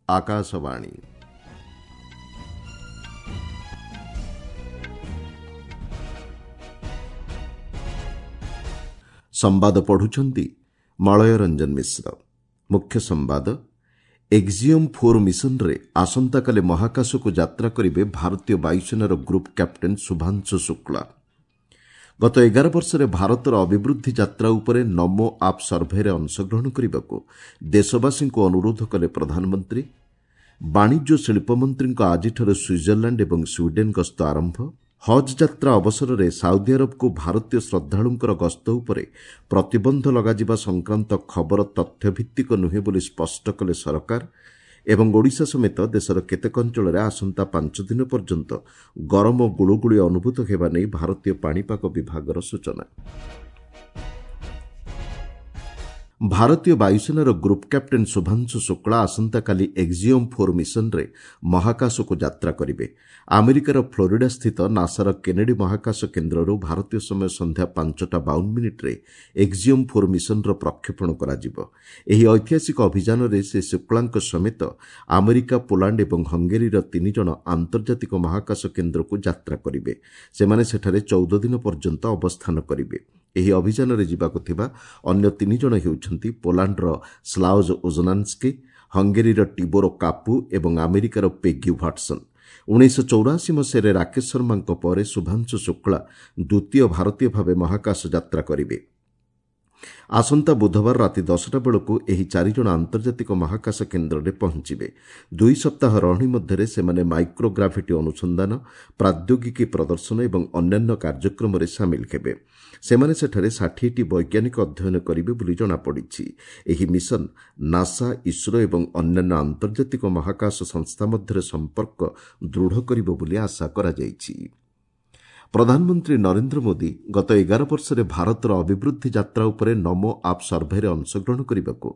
ଆକାଶବାଣୀ। ସମ୍ବାଦ ପଢୁଛନ୍ତି ମଳୟ ରଞ୍ଜନ ମିଶ୍ର। ମୁଖ୍ୟ ସମ୍ବାଦ, ଏକ୍ଜିଓମ୍ ଫୋର୍ ମିଶନରେ ଆସନ୍ତାକାଲି ମହାକାଶକୁ ଯାତ୍ରା କରିବେ ଭାରତୀୟ ବାୟୁସେନାର ଗ୍ରୁପ୍ କ୍ୟାପ୍ଟେନ୍ ଶୁଭାଂଶୁ ଶୁକ୍ଳା। ଗତ 11 ବର୍ଷରେ ଭାରତର ଅଭିବୃଦ୍ଧି ଯାତ୍ରା ଉପରେ ନମୋ ଆପ୍ ସର୍ଭେରେ ଅଂଶଗ୍ରହଣ କରିବାକୁ ଦେଶବାସୀଙ୍କୁ ଅନୁରୋଧ କଲେ ପ୍ରଧାନମନ୍ତ୍ରୀ। ବାଣିଜ୍ୟ ଓ ଶିଳ୍ପମନ୍ତ୍ରୀଙ୍କ ଆଜିଠାରୁ ସୁଇଜରଲ୍ୟାଣ୍ଡ ଏବଂ ସ୍ୱିଡେନ୍ ଗସ୍ତ ଆରମ୍ଭ। ହଜ୍ ଯାତ୍ରା ଅବସରରେ ସାଉଦି ଆରବକୁ ଭାରତୀୟ ଶ୍ରଦ୍ଧାଳୁଙ୍କର ଗସ୍ତ ଉପରେ ପ୍ରତିବନ୍ଧ ଲଗାଯିବା ସଂକ୍ରାନ୍ତ ଖବର ତଥ୍ୟଭିତ୍ତିକ ନୁହେଁ ବୋଲି ସ୍ପଷ୍ଟ କଲେ ସରକାର। ଏବଂ ଓଡ଼ିଶା ସମେତ ଦେଶର କେତେକ ଅଞ୍ଚଳରେ ଆସନ୍ତା 5 ଦିନ ପର୍ଯ୍ୟନ୍ତ ଗରମ ଓ ଗୁଳୁଗୁଳି ଅନୁଭୂତ ହେବା ନେଇ ଭାରତୀୟ ପାଣିପାଗ ବିଭାଗର ସୂଚନା। ଭାରତୀୟ ବାୟୁସେନାର ଗ୍ରୁପ୍ କ୍ୟାପ୍ଟେନ୍ ଶୁଭାଂଶୁ ଶୁକ୍ଳା ଆସନ୍ତାକାଲି ଏକ୍ଜିଓମ୍ ଫୋର୍ ମିଶନରେ ମହାକାଶକୁ ଯାତ୍ରା କରିବେ। ଆମେରିକାର ଫ୍ଲୋରିଡାସ୍ଥିତ ନାସାର କେନେଡି ମହାକାଶ କେନ୍ଦ୍ରରୁ ଭାରତୀୟ ସମୟ ସନ୍ଧ୍ୟା 5ଟା 52 ମିନିଟ୍ରେ ଏକ୍ଜିଓମ୍ ଫୋର୍ ମିଶନର ପ୍ରକ୍ଷେପଣ କରାଯିବ। ଏହି ଐତିହାସିକ ଅଭିଯାନରେ ଶ୍ରୀ ଶୁକ୍ଳାଙ୍କ ସମେତ ଆମେରିକା, ପୋଲାଣ୍ଡ ଏବଂ ହଙ୍ଗେରୀର 3 ଜଣ ଆନ୍ତର୍ଜାତିକ ମହାକାଶ କେନ୍ଦ୍ରକୁ ଯାତ୍ରା କରିବେ। ସେମାନେ ସେଠାରେ 14 ଦିନ ପର୍ଯ୍ୟନ୍ତ ଅବସ୍ଥାନ କରିବେ। ଏହି ଅଭିଯାନରେ ଯିବାକୁ ଥିବା ଅନ୍ୟ 3 ଜଣ ହେଉଛନ୍ତି ପୋଲାଣ୍ଡର ସ୍ଲାଓଜ୍ ଉଜନାନ୍ସ୍କି, ହଙ୍ଗେରୀର ଟିବୋର କାପୁ ଏବଂ ଆମେରିକାର ପେଗି ହ୍ୱାଟ୍ସନ୍। 1984 ମସିହାରେ ରାକେଶ ଶର୍ମାଙ୍କ ପରେ ଶୁଭାଂଶୁ ଶୁକ୍ଳା ଦ୍ୱିତୀୟ ଭାରତୀୟ ଭାବେ ମହାକାଶ ଯାତ୍ରା କରିବେ। ଆସନ୍ତା ବୁଧବାର ରାତି 10ଟା ବେଳକୁ ଏହି 4 ଜଣ ଆନ୍ତର୍ଜାତିକ ମହାକାଶ କେନ୍ଦ୍ରରେ ପହଞ୍ଚିବେ। 2 ସପ୍ତାହ ରହଣି ମଧ୍ୟରେ ସେମାନେ ମାଇକ୍ରୋଗ୍ରାଭିଟି ଅନୁସନ୍ଧାନ, ପ୍ରାଦ୍ୟୋଗିକୀ ପ୍ରଦର୍ଶନ ଏବଂ ଅନ୍ୟାନ୍ୟ କାର୍ଯ୍ୟକ୍ରମରେ ସାମିଲ ହେବେ। ସେମାନେ ସେଠାରେ 60ଟି ବୈଜ୍ଞାନିକ ଅଧ୍ୟୟନ କରିବେ ବୋଲି ଜଣାପଡ଼ିଛି। ଏହି ମିଶନ ନାସା, ଇସ୍ରୋ ଏବଂ ଅନ୍ୟାନ୍ୟ ଆନ୍ତର୍ଜାତିକ ମହାକାଶ ସଂସ୍ଥା ମଧ୍ୟରେ ସମ୍ପର୍କ ଦୃଢ଼ କରିବ ବୋଲି ଆଶା କରାଯାଇଛି। ପ୍ରଧାନମନ୍ତ୍ରୀ ନରେନ୍ଦ୍ର ମୋଦି ଗତ 11 ବର୍ଷରେ ଭାରତର ଅଭିବୃଦ୍ଧି ଯାତ୍ରା ଉପରେ ନମୋ ଆପ୍ ସର୍ଭେରେ ଅଂଶଗ୍ରହଣ କରିବାକୁ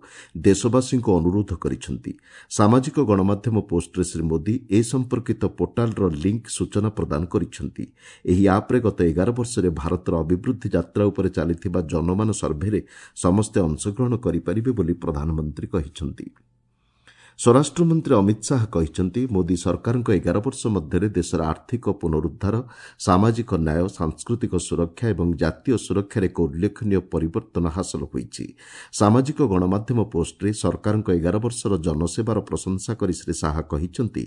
ଦେଶବାସୀଙ୍କୁ ଅନୁରୋଧ କରିଛନ୍ତି। ସାମାଜିକ ଗଣମାଧ୍ୟମ ପୋଷ୍ଟରେ ଶ୍ରୀ ମୋଦି ଏ ସମ୍ପର୍କିତ ପୋର୍ଟାଲର ଲିଙ୍କ୍ ସୂଚନା ପ୍ରଦାନ କରିଛନ୍ତି। ଏହି ଆପ୍ରେ ଗତ 11 ବର୍ଷରେ ଭାରତର ଅଭିବୃଦ୍ଧି ଯାତ୍ରା ଉପରେ ଚାଲିଥିବା ଜନମାନ ସର୍ଭେରେ ସମସ୍ତେ ଅଂଶଗ୍ରହଣ କରିପାରିବେ ବୋଲି ପ୍ରଧାନମନ୍ତ୍ରୀ କହିଛନ୍ତି। ସ୍ୱରାଷ୍ଟ୍ରମନ୍ତ୍ରୀ ଅମିତ ଶାହା କହିଛନ୍ତି, ମୋଦି ସରକାରଙ୍କ 11 ବର୍ଷ ମଧ୍ୟରେ ଦେଶର ଆର୍ଥିକ ପୁନରୁଦ୍ଧାର, ସାମାଜିକ ନ୍ୟାୟ, ସାଂସ୍କୃତିକ ସୁରକ୍ଷା ଏବଂ ଜାତୀୟ ସୁରକ୍ଷାରେ ଏକ ଉଲ୍ଲେଖନୀୟ ପରିବର୍ତ୍ତନ ହାସଲ ହୋଇଛି। ସାମାଜିକ ଗଣମାଧ୍ୟମ ପୋଷ୍ଟରେ ସରକାରଙ୍କ 11 ବର୍ଷର ଜନସେବାର ପ୍ରଶଂସା କରି ଶ୍ରୀ ଶାହା କହିଛନ୍ତି,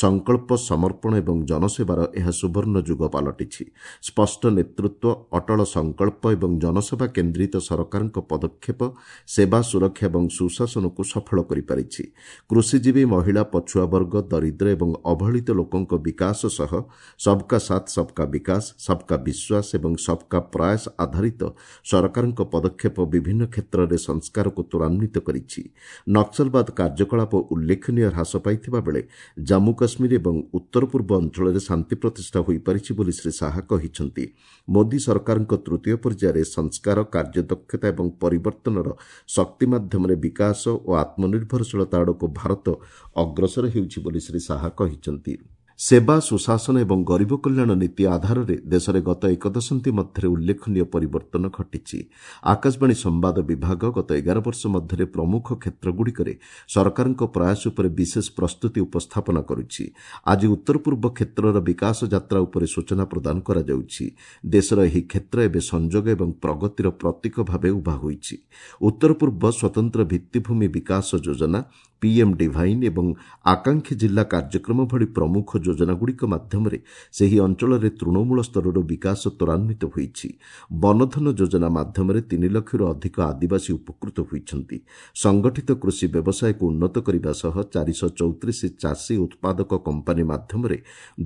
ସଂକଳ୍ପ, ସମର୍ପଣ ଏବଂ ଜନସେବାର ଏହା ସୁବର୍ଣ୍ଣ ଯୁଗ ପାଲଟିଛି। ସ୍ପଷ୍ଟ ନେତୃତ୍ୱ, ଅଟଳ ସଂକଳ୍ପ ଏବଂ ଜନସେବା କେନ୍ଦ୍ରିତ ସରକାରଙ୍କ ପଦକ୍ଷେପ ସେବା, ସୁରକ୍ଷା ଏବଂ ସୁଶାସନକୁ ସଫଳ କରିପାରିଛି। କୃଷିଜୀବୀ, ମହିଳା, ପଛୁଆବର୍ଗ, ଦରିଦ୍ର ଏବଂ ଅବହେଳିତ ଲୋକଙ୍କ ବିକାଶ ସହ ସବ୍କା ସାଥ୍, ସବ୍କା ବିକାଶ, ସବ୍କା ବିଶ୍ୱାସ ଏବଂ ସବ୍କା ପ୍ରୟାସ ଆଧାରିତ ସରକାରଙ୍କ ପଦକ୍ଷେପ ବିଭିନ୍ନ କ୍ଷେତ୍ରରେ ସଂସ୍କାରକୁ ତ୍ୱରାନ୍ୱିତ କରିଛି। ନକ୍ସଲବାଦ କାର୍ଯ୍ୟକଳାପ ଉଲ୍ଲେଖନୀୟ ହ୍ରାସ ପାଇଥିବା ବେଳେ ଜାମ୍ମୁ କାଶ୍ମୀର ଏବଂ ଉତ୍ତର ପୂର୍ବ ଅଞ୍ଚଳରେ ଶାନ୍ତି ପ୍ରତିଷ୍ଠା ହୋଇପାରିଛି ବୋଲି ଶ୍ରୀ ଶାହା କହିଛନ୍ତି। ମୋଦି ସରକାରଙ୍କ ତୃତୀୟ ପର୍ଯ୍ୟାୟରେ ସଂସ୍କାର, କାର୍ଯ୍ୟଦକ୍ଷତା ଏବଂ ପରିବର୍ତ୍ତନର ଶକ୍ତି ମାଧ୍ୟମରେ ବିକାଶ ଓ ଆତ୍ମନିର୍ଭରଶୀଳତା ଆଡ଼କୁ ଭାରତ ଅଗ୍ରସର ହେଉଛି ବୋଲି ଶ୍ରୀ ଶାହା କହିଛନ୍ତି। ସେବା, ସୁଶାସନ ଏବଂ ଗରିବ କଲ୍ୟାଣ ନୀତି ଆଧାରରେ ଦେଶରେ ଗତ ଏକ ଦଶନ୍ଧି ମଧ୍ୟରେ ଉଲ୍ଲେଖନୀୟ ପରିବର୍ତ୍ତନ ଘଟିଛି। ଆକାଶବାଣୀ ସମ୍ବାଦ ବିଭାଗ ଗତ 11 ବର୍ଷ ମଧ୍ୟରେ ପ୍ରମୁଖ କ୍ଷେତ୍ରଗୁଡ଼ିକରେ ସରକାରଙ୍କ ପ୍ରୟାସ ଉପରେ ବିଶେଷ ପ୍ରସ୍ତୁତି ଉପସ୍ଥାପନା କରୁଛି। ଆଜି ଉତ୍ତର ପୂର୍ବ କ୍ଷେତ୍ରର ବିକାଶ ଯାତ୍ରା ଉପରେ ସୂଚନା ପ୍ରଦାନ କରାଯାଉଛି। ଦେଶର ଏହି କ୍ଷେତ୍ର ଏବେ ସଂଯୋଗ ଏବଂ ପ୍ରଗତିର ପ୍ରତୀକ ଭାବେ ଉଭା ହୋଇଛି। ଉତ୍ତର ପୂର୍ବ ସ୍ୱତନ୍ତ୍ର ଭିତ୍ତିଭୂମି ବିକାଶ ଯୋଜନା, ପିଏମ୍ ଡିଭାଇନ୍ ଏବଂ ଆକାଂକ୍ଷୀ ଜିଲ୍ଲା କାର୍ଯ୍ୟକ୍ରମ ଭଳି ପ୍ରମୁଖ ଯୋଜନାଗୁଡ଼ିକ ମାଧ୍ୟମରେ ସେହି ଅଞ୍ଚଳରେ ତୃଣମୂଳ ସ୍ତରରୁ ବିକାଶ ତ୍ୱରାନ୍ୱିତ ହୋଇଛି। ବନଧନ ଯୋଜନା ମାଧ୍ୟମରେ 3 ଲକ୍ଷରୁ ଅଧିକ ଆଦିବାସୀ ଉପକୃତ ହୋଇଛନ୍ତି। ସଂଗଠିତ କୃଷି ବ୍ୟବସାୟକୁ ଉନ୍ନତ କରିବା ସହ 434 ଚାଷୀ ଉତ୍ପାଦକ କମ୍ପାନୀ ମାଧ୍ୟମରେ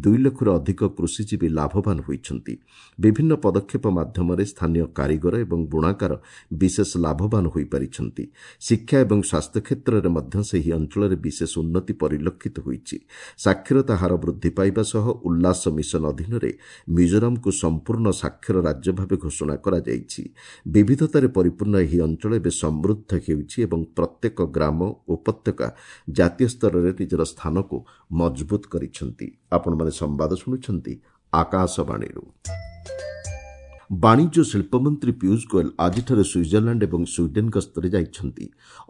2 ଲକ୍ଷରୁ ଅଧିକ କୃଷିଜୀବୀ ଲାଭବାନ ହୋଇଛନ୍ତି। ବିଭିନ୍ନ ପଦକ୍ଷେପ ମାଧ୍ୟମରେ ସ୍ଥାନୀୟ କାରିଗର ଏବଂ ବୁଣାକାର ବିଶେଷ ଲାଭବାନ ହୋଇପାରିଛନ୍ତି। ଶିକ୍ଷା ଏବଂ ସ୍ୱାସ୍ଥ୍ୟ କ୍ଷେତ୍ରରେ ମଧ୍ୟ ସେହି ଅଞ୍ଚଳରେ ବିଶେଷ ଉନ୍ନତି ପରିଲକ୍ଷିତ ହୋଇଛି। ସାକ୍ଷରତା ହାର ବୃଦ୍ଧି ପାଇବା ସହ ଉଲ୍ଲାସ ମିଶନ ଅଧୀନରେ ମିଜୋରାମକୁ ସମ୍ପୂର୍ଣ୍ଣ ସାକ୍ଷର ରାଜ୍ୟ ଭାବେ ଘୋଷଣା କରାଯାଇଛି। ବିବିଧତାରେ ପରିପୂର୍ଣ୍ଣ ଏହି ଅଞ୍ଚଳ ଏବେ ସମୃଦ୍ଧ ହେଉଛି ଏବଂ ପ୍ରତ୍ୟେକ ଗ୍ରାମ, ଉପତ୍ୟକା ଜାତୀୟ ସ୍ତରରେ ନିଜର ସ୍ଥାନକୁ ମଜବୁତ କରିଛନ୍ତି। ଆପଣମାନେ ସମ୍ବାଦ ଶୁଣୁଛନ୍ତି ଆକାଶବାଣୀରୁ। ବାଣିଜ୍ୟ ଶିଳ୍ପମନ୍ତ୍ରୀ ପୀୟୁଷ ଗୋଏଲ ଆଜିଠାରୁ ସୁଇଜରଲ୍ୟାଣ୍ଡ ଏବଂ ସ୍ୱିଡେନ୍ ଗସ୍ତରେ ଯାଇଛନ୍ତି।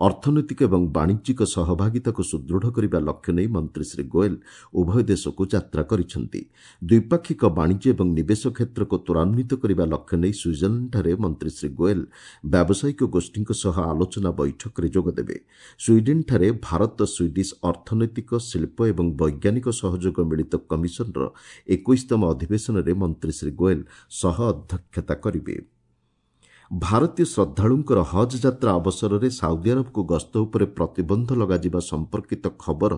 ଅର୍ଥନୈତିକ ଏବଂ ବାଣିଜ୍ୟିକ ସହଭାଗିତାକୁ ସୁଦୃଢ଼ କରିବା ଲକ୍ଷ୍ୟ ନେଇ ମନ୍ତ୍ରୀ ଶ୍ରୀ ଗୋଏଲ ଉଭୟ ଦେଶକୁ ଯାତ୍ରା କରିଛନ୍ତି। ଦ୍ୱିପାକ୍ଷିକ ବାଣିଜ୍ୟ ଏବଂ ନିବେଶ କ୍ଷେତ୍ରକୁ ତ୍ୱରାନ୍ୱିତ କରିବା ଲକ୍ଷ୍ୟ ନେଇ ସୁଇଜରଲ୍ୟାଣ୍ଡଠାରେ ମନ୍ତ୍ରୀ ଶ୍ରୀ ଗୋଏଲ ବ୍ୟାବସାୟିକ ଗୋଷ୍ଠୀଙ୍କ ସହ ଆଲୋଚନା ବୈଠକରେ ଯୋଗଦେବେ। ସ୍ୱିଡେନ୍ଠାରେ ଭାରତ ସ୍ୱିଡିଶ୍ ଅର୍ଥନୈତିକ, ଶିଳ୍ପ ଏବଂ ବୈଜ୍ଞାନିକ ସହଯୋଗ ମିଳିତ କମିଶନର 21ତମ ଅଧିବେଶନରେ ମନ୍ତ୍ରୀ ଶ୍ରୀ ଗୋଏଲ ସହ ଅଧ୍ୟକ୍ଷତା କରିବେ। ଭାରତୀୟ ଶ୍ରଦ୍ଧାଳୁଙ୍କର ହଜ୍ ଯାତ୍ରା ଅବସରରେ ସାଉଦି ଆରବକୁ ଗସ୍ତ ଉପରେ ପ୍ରତିବନ୍ଧ ଲଗାଯିବା ସମ୍ପର୍କିତ ଖବର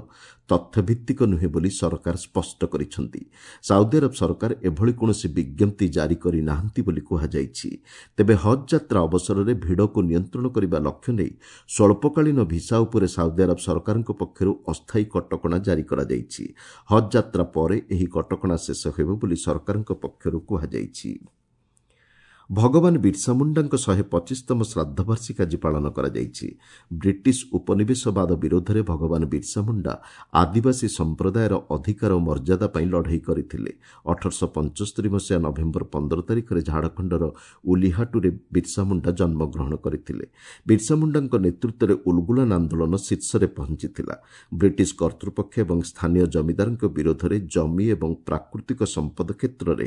ତଥ୍ୟଭିତ୍ତିକ ନୁହେଁ ବୋଲି ସରକାର ସ୍ପଷ୍ଟ କରିଛନ୍ତି। ସାଉଦି ଆରବ ସରକାର ଏଭଳି କୌଣସି ବିଜ୍ଞପ୍ତି ଜାରି କରିନାହାନ୍ତି ବୋଲି କୁହାଯାଇଛି। ତେବେ ହଜ୍ ଯାତ୍ରା ଅବସରରେ ଭିଡ଼କୁ ନିୟନ୍ତ୍ରଣ କରିବା ଲକ୍ଷ୍ୟ ନେଇ ସ୍ୱଳ୍ପକାଳୀନ ଭିସା ଉପରେ ସାଉଦି ଆରବ ସରକାରଙ୍କ ପକ୍ଷରୁ ଅସ୍ଥାୟୀ କଟକଣା ଜାରି କରାଯାଇଛି। ହଜ୍ ଯାତ୍ରା ପରେ ଏହି କଟକଣା ଶେଷ ହେବ ବୋଲି ସରକାରଙ୍କ ପକ୍ଷରୁ କୁହାଯାଇଛି। ଭଗବାନ ବିର୍ସା ମୁଣ୍ଡାଙ୍କ 125ତମ ଶ୍ରାଦ୍ଧବାର୍ଷିକୀ ଆଜି ପାଳନ କରାଯାଇଛି। ବ୍ରିଟିଶ ଉପନିବେଶବାଦ ବିରୋଧରେ ଭଗବାନ ବିର୍ସା ମୁଣ୍ଡା ଆଦିବାସୀ ସମ୍ପ୍ରଦାୟର ଅଧିକାର ଓ ମର୍ଯ୍ୟାଦା ପାଇଁ ଲଢ଼େଇ କରିଥିଲେ। 1875 ମସିହା ନଭେମ୍ବର 15 ତାରିଖରେ ଝାଡ଼ଖଣ୍ଡର ଉଲିହାଟୁରେ ବିର୍ସା ମୁଣ୍ଡା ଜନ୍ମଗ୍ରହଣ କରିଥିଲେ। ବିର୍ସା ମୁଣ୍ଡାଙ୍କ ନେତୃତ୍ୱରେ ଉଲଗୁଲାନ ଆନ୍ଦୋଳନ ଶୀର୍ଷରେ ପହଞ୍ଚିଥିଲା। ବ୍ରିଟିଶ କର୍ତ୍ତୃପକ୍ଷ ଏବଂ ସ୍ଥାନୀୟ ଜମିଦାରଙ୍କ ବିରୋଧରେ ଜମି ଏବଂ ପ୍ରାକୃତିକ ସମ୍ପଦ କ୍ଷେତ୍ରରେ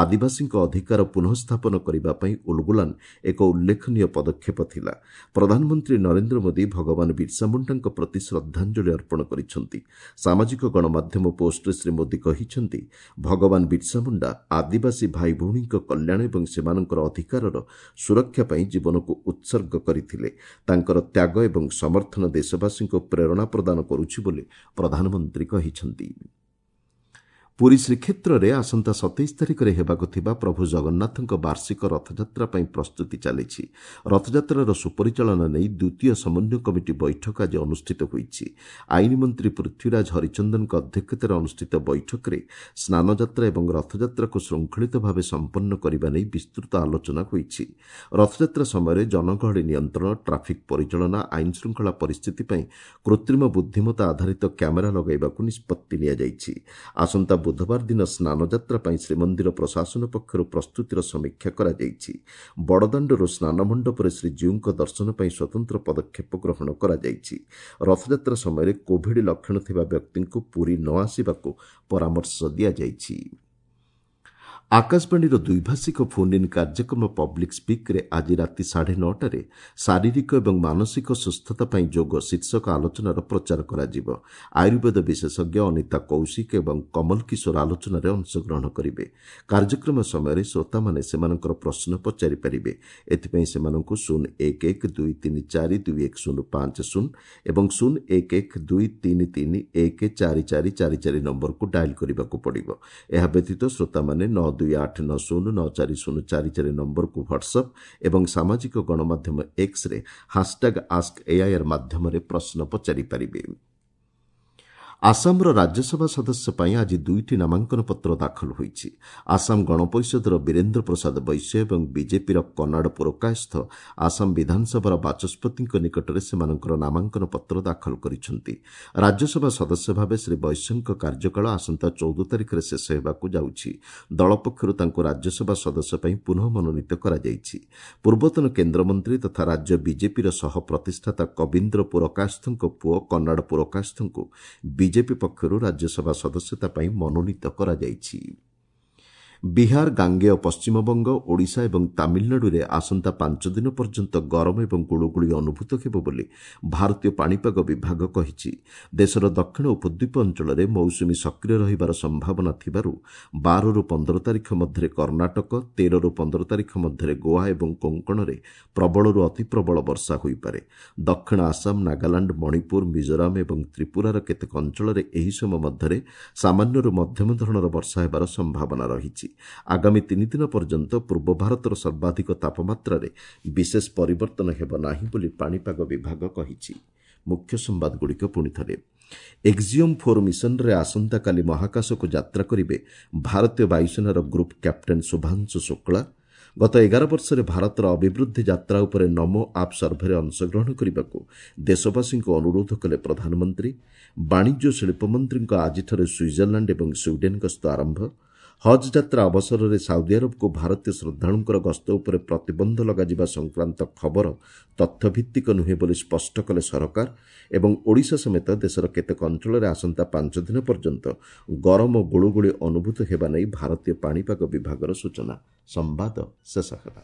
ଆଦିବାସୀଙ୍କ ଅଧିକାର ପୁନଃସ୍ଥାପନ କରିବା ପାଇଁ ଉଲଗୁଲାନ ଏକ ଉଲ୍ଲେଖନୀୟ ପଦକ୍ଷେପ ଥିଲା। ପ୍ରଧାନମନ୍ତ୍ରୀ ନରେନ୍ଦ୍ର ମୋଦି ଭଗବାନ ବିର୍ସା ମୁଣ୍ଡାଙ୍କ ପ୍ରତି ଶ୍ରଦ୍ଧାଞ୍ଜଳି ଅର୍ପଣ କରିଛନ୍ତି। ସାମାଜିକ ଗଣମାଧ୍ୟମ ପୋଷ୍ଟରେ ଶ୍ରୀ ମୋଦି କହିଛନ୍ତି, ଭଗବାନ ବିର୍ସା ମୁଣ୍ଡା ଆଦିବାସୀ ଭାଇଭଉଣୀଙ୍କ କଲ୍ୟାଣ ଏବଂ ସେମାନଙ୍କର ଅଧିକାରର ସୁରକ୍ଷା ପାଇଁ ଜୀବନକୁ ଉତ୍ସର୍ଗ କରିଥିଲେ। ତାଙ୍କର ତ୍ୟାଗ ଏବଂ ସମର୍ଥନ ଦେଶବାସୀଙ୍କୁ ପ୍ରେରଣା ପ୍ରଦାନ କରୁଛି ବୋଲି ପ୍ରଧାନମନ୍ତ୍ରୀ କହିଛନ୍ତି। ପୁରୀ ଶ୍ରୀକ୍ଷେତ୍ରରେ ଆସନ୍ତା 27 ତାରିଖରେ ହେବାକୁ ଥିବା ପ୍ରଭୁ ଜଗନ୍ନାଥଙ୍କ ବାର୍ଷିକ ରଥଯାତ୍ରା ପାଇଁ ପ୍ରସ୍ତୁତି ଚାଲିଛି। ରଥଯାତ୍ରାର ସୁପରିଚାଳନା ନେଇ ଦ୍ୱିତୀୟ ସମନ୍ୱୟ କମିଟି ବୈଠକ ଆଜି ଅନୁଷ୍ଠିତ ହୋଇଛି। ଆଇନ ମନ୍ତ୍ରୀ ପୃଥ୍ୱୀରାଜ ହରିଚନ୍ଦନଙ୍କ ଅଧ୍ୟକ୍ଷତାରେ ଅନୁଷ୍ଠିତ ବୈଠକରେ ସ୍ନାନଯାତ୍ରା ଏବଂ ରଥଯାତ୍ରାକୁ ଶୃଙ୍ଖଳିତ ଭାବେ ସମ୍ପନ୍ନ କରିବା ନେଇ ବିସ୍ତୃତ ଆଲୋଚନା ହୋଇଛି। ରଥଯାତ୍ରା ସମୟରେ ଜନଗହଳି ନିୟନ୍ତ୍ରଣ, ଟ୍ରାଫିକ୍ ପରିଚାଳନା, ଆଇନ ଶୃଙ୍ଖଳା ପରିସ୍ଥିତି ପାଇଁ କୃତ୍ରିମ ବୁଦ୍ଧିମତ୍ତା ଆଧାରିତ କ୍ୟାମେରା ଲଗାଇବାକୁ ନିଷ୍ପତ୍ତି ନିଆଯାଇଛି। ଆସନ୍ତା ବୁଧବାର ଦିନ ସ୍ନାନଯାତ୍ରା ପାଇଁ ଶ୍ରୀମନ୍ଦିର ପ୍ରଶାସନ ପକ୍ଷରୁ ପ୍ରସ୍ତୁତିର ସମୀକ୍ଷା କରାଯାଇଛି। ବଡ଼ଦାଣ୍ଡରୁ ସ୍ନାନମଣ୍ଡପରେ ଶ୍ରୀଜୀଉଙ୍କ ଦର୍ଶନ ପାଇଁ ସ୍ୱତନ୍ତ୍ର ପଦକ୍ଷେପ ଗ୍ରହଣ କରାଯାଇଛି। ରଥଯାତ୍ରା ସମୟରେ କୋଭିଡ୍ ଲକ୍ଷଣ ଥିବା ବ୍ୟକ୍ତିଙ୍କୁ ପୁରୀ ନ ଆସିବାକୁ ପରାମର୍ଶ ଦିଆଯାଇଛି। ଆକାଶବାଣୀର ଦ୍ୱିଭାଷିକ ଫୋନ୍ ଇନ୍ କାର୍ଯ୍ୟକ୍ରମ ପବ୍ଲିକ୍ ସ୍ପିକ୍ରେ ଆଜି ରାତି 9:30ରେ ଶାରୀରିକ ଏବଂ ମାନସିକ ସୁସ୍ଥତା ପାଇଁ ଯୋଗ ଶୀର୍ଷକ ଆଲୋଚନାର ପ୍ରଚାର କରାଯିବ। ଆୟୁର୍ବେଦ ବିଶେଷଜ୍ଞ ଅନିତା କୌଶିକ ଏବଂ କମଲ କିଶୋର ଆଲୋଚନାରେ ଅଂଶଗ୍ରହଣ କରିବେ। କାର୍ଯ୍ୟକ୍ରମ ସମୟରେ ଶ୍ରୋତାମାନେ ସେମାନଙ୍କର ପ୍ରଶ୍ନ ପଚାରିପାରିବେ। ଏଥିପାଇଁ ସେମାନଙ୍କୁ 0 1 1 2 3 4 2 1 0 5 0 ଏବଂ 0 1 1 2 3 3 1 4 4 4 4 ନମ୍ବରକୁ ଡାଏଲ୍ କରିବାକୁ ପଡ଼ିବ। ଏହା ବ୍ୟତୀତ ଶ୍ରୋତାମାନେ 9 2 8 9 0 9 4 0 4 4 ନମ୍ବରକୁ ହ୍ୱାଟ୍ସଆପ୍ ଏବଂ ସାମାଜିକ ଗଣମାଧ୍ୟମ ଏକ୍ସରେ ହାସ୍ଟ୍ୟାଗ୍ ଆସ୍କ ଏଆଇଆର୍ ମାଧ୍ୟମରେ ପ୍ରଶ୍ନ ପଚାରିପାରିବେ। ଆସାମର ରାଜ୍ୟସଭା ସଦସ୍ୟ ପାଇଁ ଆଜି ଦୁଇଟି ନାମାଙ୍କନ ପତ୍ର ଦାଖଲ ହୋଇଛି। ଆସାମ ଗଣପରିଷଦର ବୀରେନ୍ଦ୍ର ପ୍ରସାଦ ବୈଶ୍ୟ ଏବଂ ବିଜେପିର କନାଡ଼ ପୁରକାୟସ୍ଥ ଆସାମ ବିଧାନସଭାର ବାଚସ୍ପତିଙ୍କ ନିକଟରେ ସେମାନଙ୍କର ନାମାଙ୍କନ ପତ୍ର ଦାଖଲ କରିଛନ୍ତି। ରାଜ୍ୟସଭା ସଦସ୍ୟ ଭାବେ ଶ୍ରୀ ବୈଶ୍ୟଙ୍କ କାର୍ଯ୍ୟକାଳ ଆସନ୍ତା 14 ତାରିଖରେ ଶେଷ ହେବାକୁ ଯାଉଛି। ଦଳ ପକ୍ଷରୁ ତାଙ୍କୁ ରାଜ୍ୟସଭା ସଦସ୍ୟ ପାଇଁ ପୁନଃ ମନୋନୀତ କରାଯାଇଛି। ପୂର୍ବତନ କେନ୍ଦ୍ରମନ୍ତ୍ରୀ ତଥା ରାଜ୍ୟ ବିଜେପିର ସହ ପ୍ରତିଷ୍ଠାତା କବୀନ୍ଦ୍ର ପୁରକାୟସ୍ଥଙ୍କ ପୁଅ କନାଡ଼ ପୁରକାୟସ୍ଥଙ୍କୁ ବିଜେପି ପକ୍ଷରୁ ରାଜ୍ୟସଭା ସଦସ୍ୟତା ପାଇଁ ମନୋନୀତ କରାଯାଇଛି। ବିହାର, ଗାଙ୍ଗେୟ ପଶ୍ଚିମବଙ୍ଗ, ଓଡ଼ିଶା ଏବଂ ତାମିଲନାଡୁରେ ଆସନ୍ତା 5 ଦିନ ପର୍ଯ୍ୟନ୍ତ ଗରମ ଏବଂ ଗୁଳୁଗୁଳି ଅନୁଭୂତ ହେବ ବୋଲି ଭାରତୀୟ ପାଣିପାଗ ବିଭାଗ କହିଛି। ଦେଶର ଦକ୍ଷିଣ ଉପଦ୍ୱୀପ ଅଞ୍ଚଳରେ ମୌସୁମୀ ସକ୍ରିୟ ରହିବାର ସମ୍ଭାବନା ଥିବାରୁ 12ରୁ 15 ତାରିଖ ମଧ୍ୟରେ କର୍ଣ୍ଣାଟକ, 13ରୁ 15 ତାରିଖ ମଧ୍ୟରେ ଗୋଆ ଏବଂ କୋଙ୍କଣରେ ପ୍ରବଳରୁ ଅତିପ୍ରବଳ ବର୍ଷା ହୋଇପାରେ। ଦକ୍ଷିଣ ଆସାମ, ନାଗାଲାଣ୍ଡ, ମଣିପୁର, ମିଜୋରାମ ଏବଂ ତ୍ରିପୁରାର କେତେକ ଅଞ୍ଚଳରେ ଏହି ସମୟ ମଧ୍ୟରେ ସାମାନ୍ୟରୁ ମଧ୍ୟମ ଧରଣର ବର୍ଷା ହେବାର ସମ୍ଭାବନା ରହିଛି। ଆଗାମୀ 3 ଦିନ ପର୍ଯ୍ୟନ୍ତ ପୂର୍ବ ଭାରତର ସର୍ବାଧିକ ତାପମାତ୍ରାରେ ବିଶେଷ ପରିବର୍ତ୍ତନ ହେବ ନାହିଁ ବୋଲି ପାଣିପାଗ ବିଭାଗ କହିଛି। ମୁଖ୍ୟ ସମ୍ବାଦଗୁଡ଼ିକ ପୁଣି ଥରେ। ଏକ୍ଜିଓମ୍ 4 ମିଶନରେ ଆସନ୍ତାକାଲି ମହାକାଶକୁ ଯାତ୍ରା କରିବେ ଭାରତୀୟ ବାୟୁସେନାର ଗ୍ରୁପ୍ କ୍ୟାପ୍ଟେନ୍ ଶୁଭାଂଶୁ ଶୁକ୍ଳା। ଗତ 11 ବର୍ଷରେ ଭାରତର ଅଭିବୃଦ୍ଧି ଯାତ୍ରା ଉପରେ ନମୋ ଆପ୍ ସର୍ଭେରେ ଅଂଶଗ୍ରହଣ କରିବାକୁ ଦେଶବାସୀଙ୍କୁ ଅନୁରୋଧ କଲେ ପ୍ରଧାନମନ୍ତ୍ରୀ। ବାଣିଜ୍ୟ ଶିଳ୍ପମନ୍ତ୍ରୀଙ୍କ ଆଜିଠାରୁ ସୁଇଜରଲ୍ୟାଣ୍ଡ ଏବଂ ସ୍ୱିଡେନ୍ ଗସ୍ତ ଆରମ୍ଭ। ହଜ୍ ଯାତ୍ରା ଅବସରରେ ସାଉଦି ଆରବକୁ ଭାରତୀୟ ଶ୍ରଦ୍ଧାଳୁଙ୍କର ଗସ୍ତ ଉପରେ ପ୍ରତିବନ୍ଧ ଲଗାଯିବା ସଂକ୍ରାନ୍ତ ଖବର ତଥ୍ୟଭିତ୍ତିକ ନୁହେଁ ବୋଲି ସ୍ପଷ୍ଟ କଲେ ସରକାର ଏବଂ ଓଡ଼ିଶା ସମେତ ଦେଶର କେତେକ ଅଞ୍ଚଳରେ ଆସନ୍ତା 5 ଦିନ ପର୍ଯ୍ୟନ୍ତ ଗରମ ଗୁଳୁଗୁଳି ଅନୁଭୂତ ହେବା ନେଇ ଭାରତୀୟ ପାଣିପାଗ ବିଭାଗର ସୂଚନା। ସମ୍ବାଦ ଶେଷ ହେଲା।